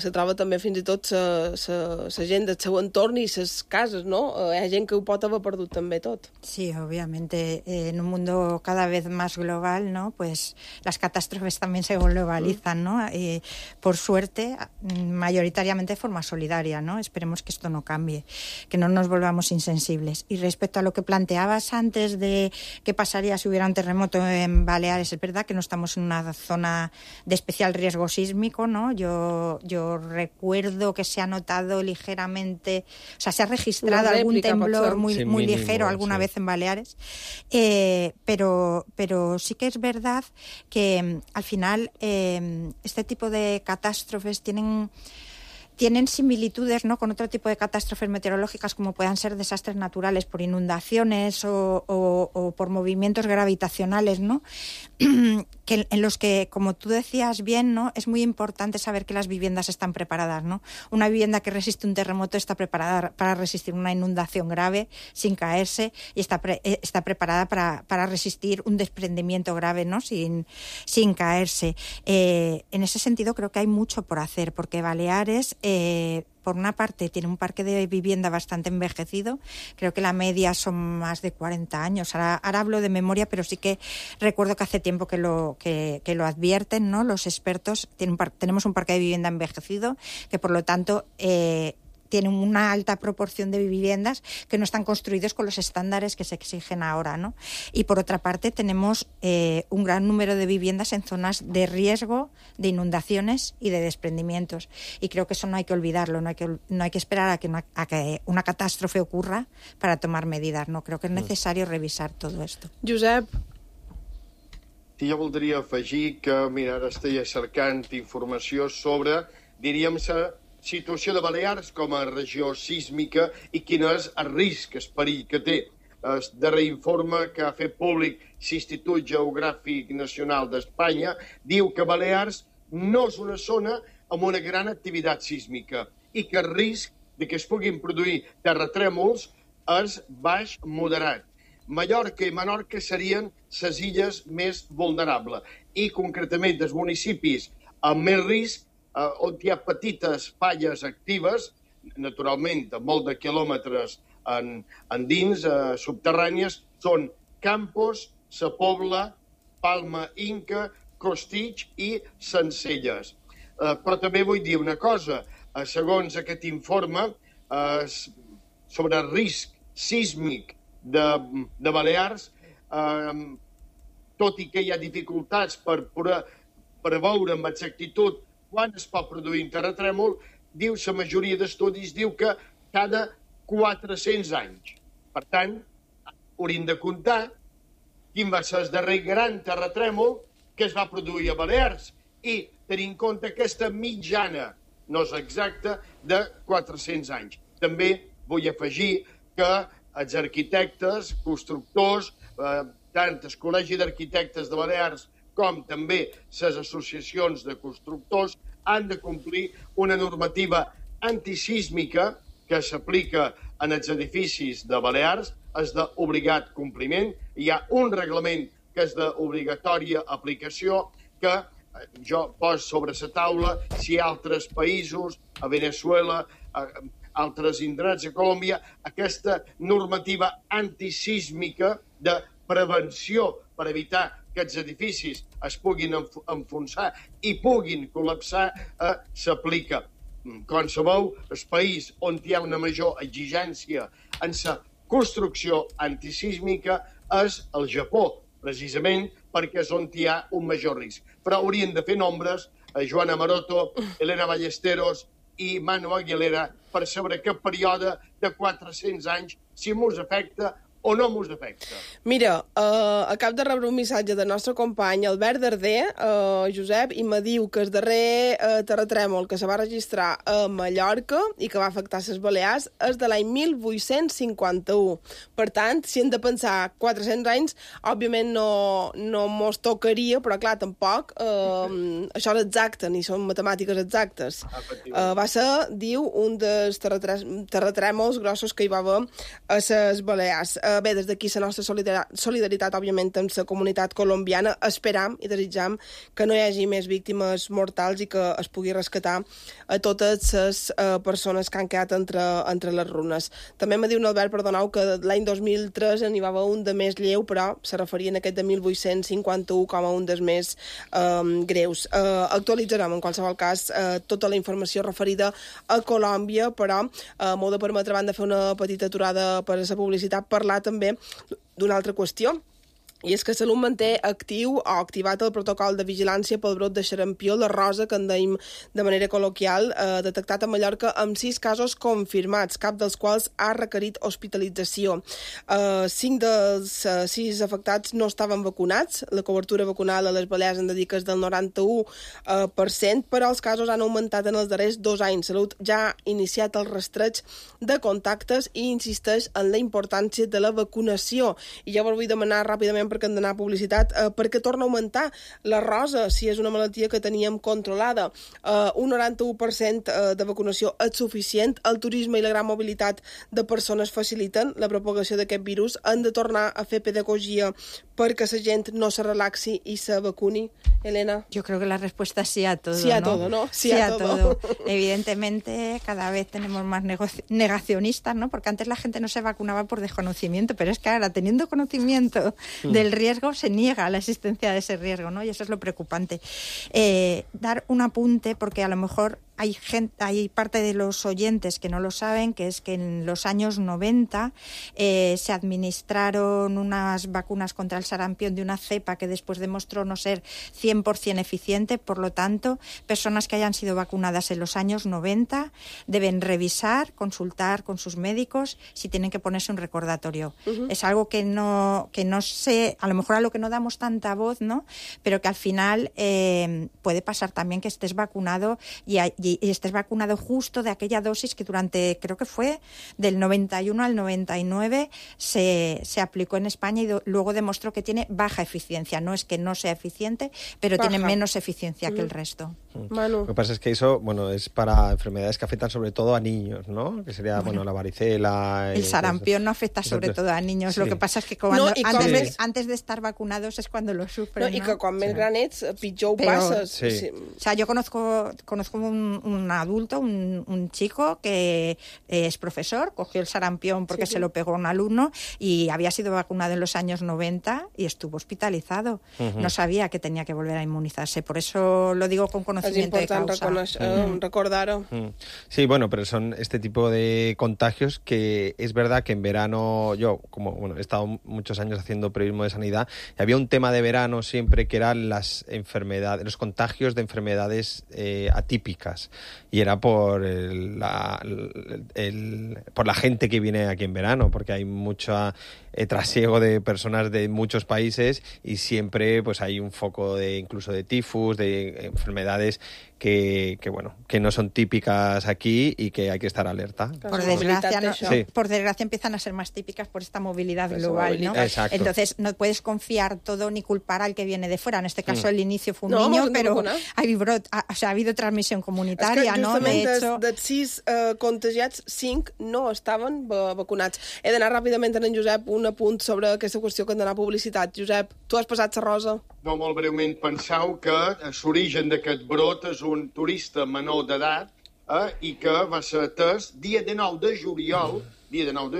se troba també fins i tot la gent del seu entorn i les cases, no? Hi ha gent que ho pot haver perdut també tot. Sí, obviamente, en un mundo cada vez más global, ¿no?, pues las catástrofes también se globalizan, ¿no? Por suerte, mayoritariamente de forma solidaria, ¿no? Esperemos que esto no cambie, que no nos volvamos insensibles. Y respecto a lo que planteabas antes de qué pasaría si hubiera un terremoto en Baleares, es verdad que no estamos en una zona de especial riesgo sísmico, ¿no? Yo recuerdo que se ha notado ligeramente, o sea, se ha registrado algún temblor muy ligero alguna vez en Baleares, pero sí que es verdad que al final este tipo de catástrofes tienen similitudes, ¿no?, con otro tipo de catástrofes meteorológicas como puedan ser desastres naturales por inundaciones o por movimientos gravitacionales, ¿no? Que en los que, como tú decías bien, ¿no?, es muy importante saber que las viviendas están preparadas, ¿no? Una vivienda que resiste un terremoto está preparada para resistir una inundación grave sin caerse y está preparada para resistir un desprendimiento grave, ¿no?, sin caerse. En ese sentido creo que hay mucho por hacer, porque Baleares por una parte, tiene un parque de vivienda bastante envejecido. Creo que la media son más de 40 años. Ahora hablo de memoria, pero sí que recuerdo que hace tiempo que lo advierten, ¿no? Los expertos. Tenemos un parque de vivienda envejecido que, por lo tanto, tiene una alta proporción de viviendas que no están construidos con los estándares que se exigen ahora, ¿no? Y por otra parte tenemos un gran número de viviendas en zonas de riesgo de inundaciones y de desprendimientos. Y creo que eso no hay que olvidarlo, no hay que esperar a que una catástrofe ocurra para tomar medidas, ¿no? Creo que es necesario revisar todo esto. Josep. Sí, jo voldria afegir que, mira, ara estic cercant informació sobre, diríem, la situació de Balears com a regió sísmica i quin és el risc, el perill que té. El darrer informe que ha fet públic l'Institut Geogràfic Nacional d'Espanya diu que Balears no és una zona amb una gran activitat sísmica i que el risc de que es puguin produir terratrèmols és baix moderat. Mallorca i Menorca serien les illes més vulnerables i, concretament, els municipis amb més risc on hi ha petites falles actives, naturalment, a molt de quilòmetres endins, subterrànies, són Campos, Sa Pobla, Palma Inca, Costitx i Sencelles. Però també vull dir una cosa. Segons aquest informe, sobre el risc sísmic de Balears, tot i que hi ha dificultats per preveure amb exactitud quan es pot produir un terratrèmol, diu, la majoria d'estudis diu que cada 400 anys. Per tant, hauríem de comptar quin va ser el darrer gran terratrèmol que es va produir a Balears i tenir en compte aquesta mitjana, no és exacta, de 400 anys. També vull afegir que els arquitectes, constructors, tant el Col·legi d'Arquitectes de Balears com també les associacions de constructors han de complir una normativa antisísmica que s'aplica en els edificis de Balears, és d'obligat compliment. Hi ha un reglament que és d'obligatòria aplicació que jo poso sobre la taula si altres països, a Venezuela, altres indrets, a Colòmbia, aquesta normativa antisísmica de prevenció per evitar que els edificis es puguin enfonsar i puguin col·lapsar, s'aplica. Com sabeu, el país on hi ha una major exigència en la construcció antisísmica és el Japó, precisament perquè és on hi ha un major risc. Però haurien de fer nombres a Joana Maroto, Elena Ballesteros i Manu Aguilera per saber aquest període de 400 anys si mos afecta o no mos afecta. Mira, acabo de rebre un missatge del nostre company Albert Darder, Josep, i me diu que el darrer terratrèmol que se va registrar a Mallorca i que va afectar les Balears és de l'any 1851. Per tant, si hem de pensar 400 anys, òbviament no mos tocaria, però clar, tampoc això és exacte, ni són matemàtiques exactes. Va ser, diu, un dels terratrèmols grossos que hi va haver a les Balears. Bé, des d'aquí la nostra solidaritat, òbviament, amb la comunitat colombiana. Esperam i desitjam que no hi hagi més víctimes mortals i que es pugui rescatar a totes les persones que han quedat entre les runes. També me diu Albert, perdoneu, que l'any 2003 n'hi va haver un de més lleu, però se referien a aquest de 1851 com a un dels més greus. Actualitzarem, en qualsevol cas, tota la informació referida a Colòmbia, però m'ho de permetre, abans de fer una petita aturada per a la publicitat, parlar també d'una altra qüestió. I és que Salut manté actiu o activat el protocol de vigilància pel brot de xarampió, la rosa, que en deim de manera col·loquial, detectat a Mallorca amb 6 casos confirmats, cap dels quals ha requerit hospitalització. 5 dels 6 afectats no estaven vacunats. La cobertura vacunal a les Balears en dedica del 91%, però els casos han augmentat en els darrers 2 anys. Salut ja ha iniciat el rastreig de contactes i insisteix en la importància de la vacunació. I ja vos vull demanar ràpidament, perquè hem d'anar a publicitat, perquè torna a augmentar la rosa, si és una malaltia que teníem controlada. Un 91% de vacunació és suficient. El turisme i la gran mobilitat de persones faciliten la propagació d'aquest virus. Han de tornar a fer pedagogia perquè la gent no se relaxi y se vacuni, Elena? Yo creo que la respuesta es sí a todo. Sí a ¿no? todo, ¿no? Sí a todo. Evidentemente, cada vez tenemos más negacionistas, ¿no? Porque antes la gente no se vacunaba por desconocimiento, pero es que ahora, teniendo conocimiento del riesgo, se niega la existencia de ese riesgo, ¿no? Y eso es lo preocupante. Dar un apunte, porque a lo mejor hay parte de los oyentes que no lo saben, que es que en los años 90 se administraron unas vacunas contra el sarampión de una cepa que después demostró no ser 100% eficiente. Por lo tanto, personas que hayan sido vacunadas en los años 90 deben revisar, consultar con sus médicos si tienen que ponerse un recordatorio. Es algo que no sé, a lo mejor a lo que no damos tanta voz, ¿no? Pero que al final puede pasar también que estés vacunado y estés vacunado justo de aquella dosis que durante, creo que fue del 91 al 99 se aplicó en España y luego demostró que tiene baja eficiencia. No es que no sea eficiente, pero tiene menos eficiencia que el resto. Manu. Lo que pasa es que eso, bueno, es para enfermedades que afectan sobre todo a niños, ¿no? Que sería, bueno, la varicela. El sarampión no afecta sobre todo a niños. Sí. Lo que pasa es que antes de estar vacunados es cuando lo sufren. No, y que quan més gran ets, pitjor ho passes. Sí. O sea, yo conozco un adulto, un chico que es profesor, cogió el sarampión porque se lo pegó a un alumno y había sido vacunado en los años 90 y estuvo hospitalizado. No sabía que tenía que volver a inmunizarse. Por eso lo digo con conocimiento de causa. Es importante recordarlo. Sí, bueno, pero son este tipo de contagios que es verdad que en verano, yo como he estado muchos años haciendo periodismo de sanidad, y había un tema de verano siempre que eran las enfermedades, los contagios de enfermedades atípicas, y era por por la gente que viene aquí en verano, porque hay mucho trasiego de personas de muchos países y siempre pues hay un foco de incluso de tifus, de enfermedades que no son típicas aquí y que hay que estar alerta. Por desgracia empiezan a ser más típicas por esta movilidad global, ¿no? Exacto. Entonces no puedes confiar todo ni culpar al que viene de fuera. En este caso el inicio fue un niño, pero ha habido transmisión comunitaria, ¿no? De hecho, dels 6 contagiats, 5 no estaven vacunats. He d'anar ràpidament en Josep un apunt sobre aquesta qüestió que hem d'anar a publicitat. Josep, tu has passat la rosa? No, molt breument, penseu que l'origen d'aquest brot és un turista menor d'edat i que va ser atès dia 19 de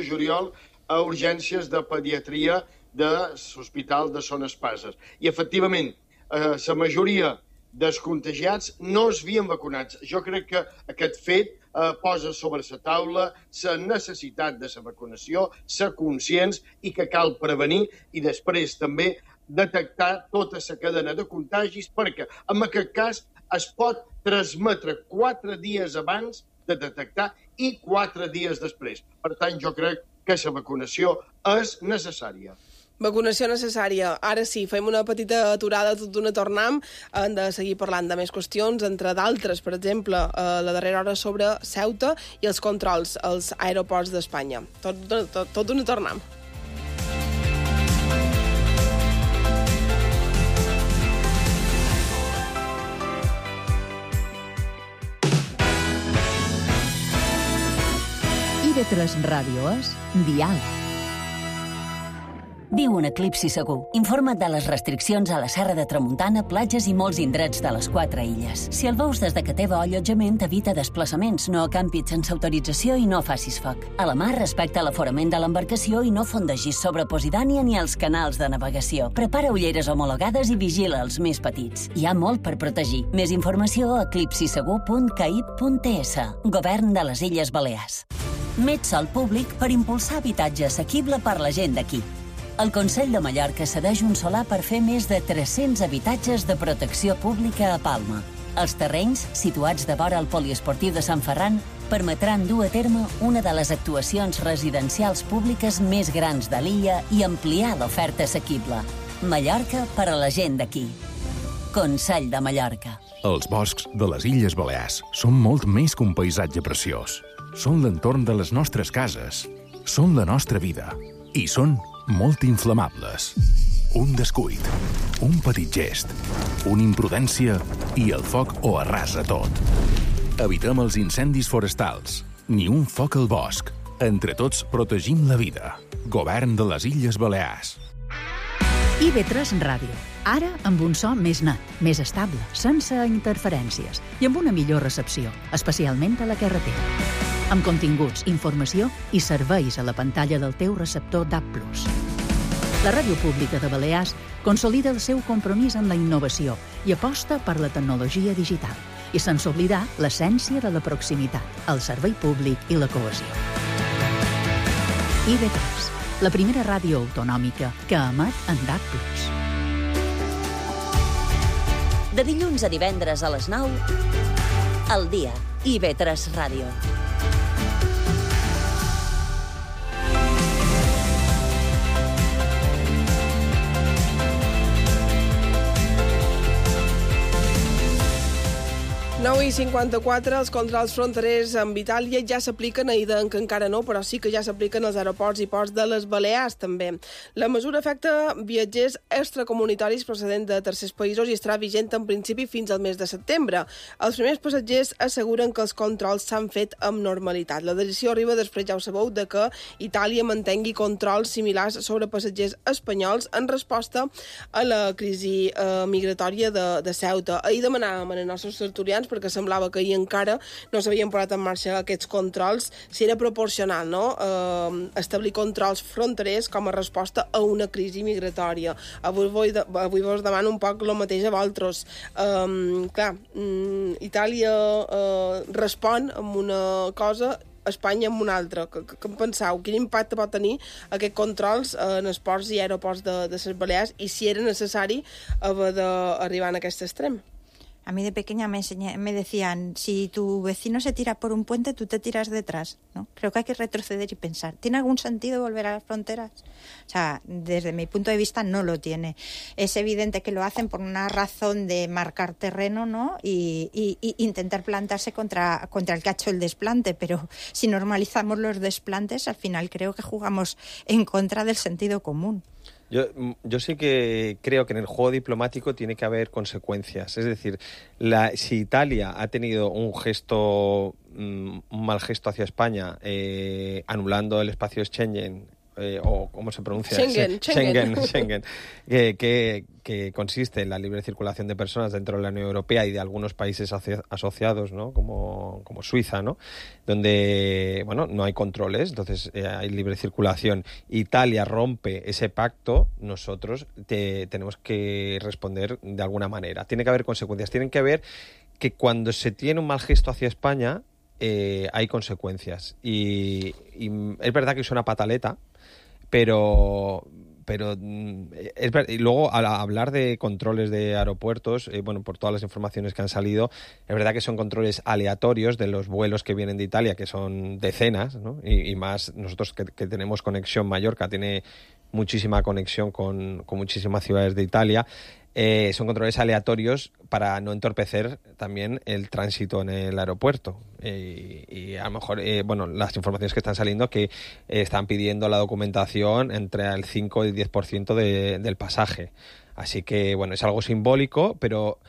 juliol a urgències de pediatria de l'Hospital de Son Espases. I, efectivament, la majoria dels contagiats no es havien vacunats. Jo crec que aquest fet posa sobre la taula la necessitat de la vacunació, ser conscients i que cal prevenir i després també detectar tota la cadena de contagis perquè en aquest cas es pot transmetre 4 dies abans de detectar i 4 dies després. Per tant, jo crec que la vacunació és necessària. Vacunació necessària. Ara sí, fem una petita aturada, tot d'una tornam. Hem de seguir parlant de més qüestions, entre d'altres, per exemple, la darrera hora sobre Ceuta i els controls als aeroports d'Espanya. Tot d'una tornam. IB3 Ràdio és Diàleg. Viu un eclipsi segur. Informa't de les restriccions a la Serra de Tramuntana, platges i molts indrets de les 4 illes. Si el veus des de que teva allotjament, evita desplaçaments, no acampis sense autorització i no facis foc. A la mar, respecta l'aforament de l'embarcació i no fondegis sobre Posidònia ni els canals de navegació. Prepara ulleres homologades i vigila els més petits. Hi ha molt per protegir. Més informació a eclipsisegur.caip.ts. Govern de les Illes Balears. Met sol públic per impulsar habitatge assequible per la gent d'aquí. El Consell de Mallorca cedeix un solar per fer més de 300 habitatges de protecció pública a Palma. Els terrenys, situats de vora el poliesportiu de Sant Ferran, permetran dur a terme una de les actuacions residencials públiques més grans de l'illa i ampliar l'oferta assequible. Mallorca per a la gent d'aquí. Consell de Mallorca. Els boscs de les Illes Balears són molt més que un paisatge preciós. Són l'entorn de les nostres cases. Són la nostra vida. I són molt inflamables. Un descuit, un petit gest, una imprudència i el foc ho arrasa tot. Evitem els incendis forestals. Ni un foc al bosc. Entre tots protegim la vida. Govern de les Illes Balears. IB3 Ràdio. Ara amb un so més net, més estable, sense interferències i amb una millor recepció, especialment a la carretera. Amb continguts, informació i serveis a la pantalla del teu receptor DAB+. La Ràdio Pública de Balears consolida el seu compromís amb la innovació i aposta per la tecnologia digital, i sense oblidar l'essència de la proximitat, el servei públic i la cohesió. IB3, la primera ràdio autonòmica que emet en DAB+. De dilluns a divendres a les 9, al dia, IB3 Ràdio. I 54, els controls fronterers amb Itàlia ja s'apliquen a Ida, que encara no, però sí que ja s'apliquen als aeroports i ports de les Balears, també. La mesura afecta viatgers extracomunitaris procedents de tercers països i estarà vigent en principi fins al mes de setembre. Els primers passatgers asseguren que els controls s'han fet amb normalitat. La decisió arriba després, ja ho sabeu, de que Itàlia mantengui controls similars sobre passatgers espanyols en resposta a la crisi migratòria de Ceuta. Ahir demanàvem als nostres tertulians, perquè semblava que ahir encara no s'havien posat en marxa aquests controls, si era proporcional, no?, establir controls fronterers com a resposta a una crisi migratòria. Avui vos demano un poc el mateix a vosaltres. Itàlia respon amb una cosa, Espanya amb una altra. Què en penseu? Quin impacte pot tenir aquests controls en els ports i aeroports de les Balears i si era necessari haver d'arribar a aquest extrem? A mí de pequeña me decían, si tu vecino se tira por un puente, tú te tiras detrás, ¿no? Creo que hay que retroceder y pensar, ¿tiene algún sentido volver a las fronteras? O sea, desde mi punto de vista no lo tiene. Es evidente que lo hacen por una razón de marcar terreno, ¿no? Y intentar plantarse contra el que ha hecho el desplante, pero si normalizamos los desplantes, al final creo que jugamos en contra del sentido común. Yo sí que creo que en el juego diplomático tiene que haber consecuencias. Es decir, si Italia ha tenido un mal gesto hacia España, anulando el espacio Schengen, o ¿cómo se pronuncia? Schengen, que consiste en la libre circulación de personas dentro de la Unión Europea y de algunos países asociados, ¿no?, como Suiza, ¿no?, donde, bueno, no hay controles, entonces hay libre circulación. Italia rompe ese pacto, nosotros tenemos que responder de alguna manera. Tiene que haber consecuencias, tienen que haber que cuando se tiene un mal gesto hacia España hay consecuencias. Y es verdad que suena pataleta, pero y luego al hablar de controles de aeropuertos, por todas las informaciones que han salido, es verdad que son controles aleatorios de los vuelos que vienen de Italia, que son decenas, ¿no? Y más nosotros que tenemos conexión, Mallorca tiene muchísima conexión con muchísimas ciudades de Italia. Son controles aleatorios para no entorpecer también el tránsito en el aeropuerto. Y a lo mejor, las informaciones que están saliendo que están pidiendo la documentación entre el 5 y el 10% del pasaje. Así que, es algo simbólico, pero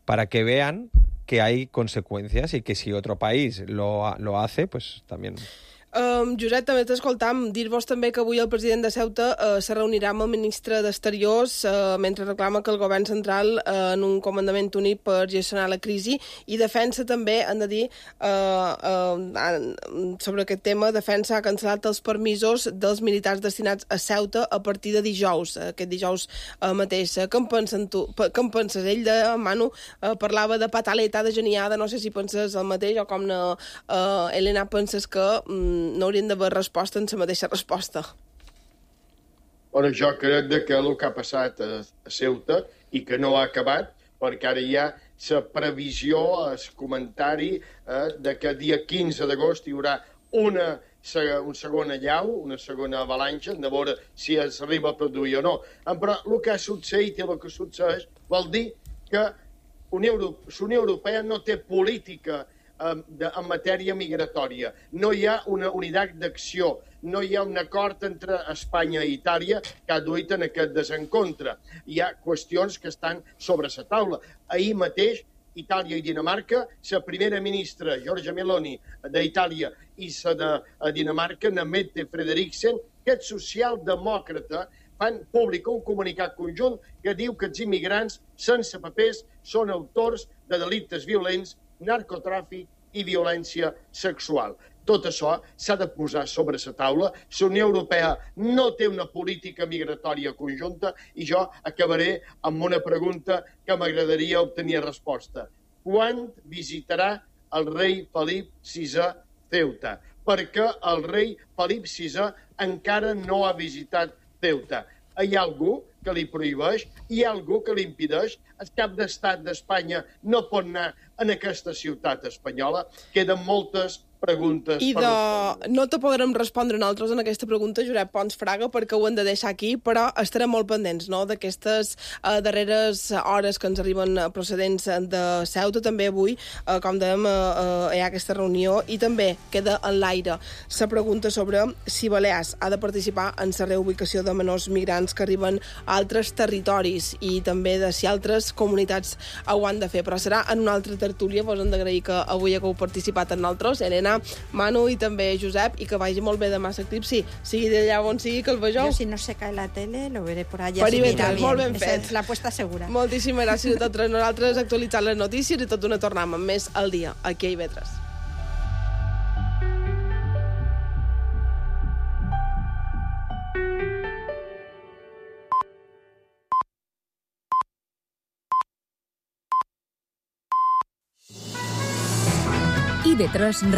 para que vean que hay consecuencias y que si otro país lo hace, pues también... Josep, també t'escoltam dir-vos també que avui el president de Ceuta se reunirà amb el ministre d'Exteriors mentre reclama que el govern central en un comandament únic per gestionar la crisi i defensa també, han de dir, sobre aquest tema, defensa ha cancel·lat els permisos dels militars destinats a Ceuta a partir de dijous, aquest dijous mateix. Què en penses tu? Què en penses? Ell, Manu, parlava de pataleta, de geniada, no sé si penses el mateix o com Helena penses que no haurien d'haver resposta en la mateixa resposta. Jo crec que el que ha passat a Ceuta i que no ha acabat, perquè ara hi ha la previsió, el comentari de que dia 15 d'agost hi haurà una segona allau, una segona avalanxa, de veure si s'arriba a produir o no. Però el que ha succeït i el que succeeix vol dir que la Unió Europea no té política en matèria migratòria. No hi ha una unitat d'acció, no hi ha un acord entre Espanya i Itàlia que ha duit en aquest desencontre. Hi ha qüestions que estan sobre la taula. Ahir mateix, Itàlia i Dinamarca, la primera ministra, Giorgia Meloni, d'Itàlia, i la de Dinamarca, Mette Frederiksen, aquest socialdemòcrata, fan públic un comunicat conjunt que diu que els immigrants sense papers són autors de delictes violents, narcotràfic i violència sexual. Tot això s'ha de posar sobre la taula. La Unió Europea no té una política migratòria conjunta i jo acabaré amb una pregunta que m'agradaria obtenir resposta. Quan visitarà el rei Felip VI Ceuta? Perquè el rei Felip VI encara no ha visitat Ceuta. Hi ha algú que li prohibeix? Hi ha algú que li impedeix? El cap d'estat d'Espanya no pot anar en aquesta ciutat espanyola? Queden moltes preguntes. I no te podrem respondre nosaltres en aquesta pregunta, Josep Pons Fraga, perquè ho hem de deixar aquí, però estarem molt pendents, no?, d'aquestes darreres hores que ens arriben procedents de Ceuta. També avui, com dèiem, hi ha aquesta reunió i també queda en l'aire la pregunta sobre si Balears ha de participar en la reubicació de menors migrants que arriben a altres territoris i també de si altres comunitats ho han de fer. Però serà en una altra tertúlia. Vos hem d'agrair que avui hagueu participat en nosaltres, Helena, Manu i també Josep, i que vagi molt bé demà l'eclipsi, sigui d'allà on sigui que el vegeu. Yo, si no se cae la tele, lo veré por allá. Per si mira Ivetres, molt ben fet. Esa es la apuesta segura. Moltíssimes gràcies a tots nosaltres actualitzant les notícies i tot d'una tornem amb més al dia, aquí a Ivetres. IB3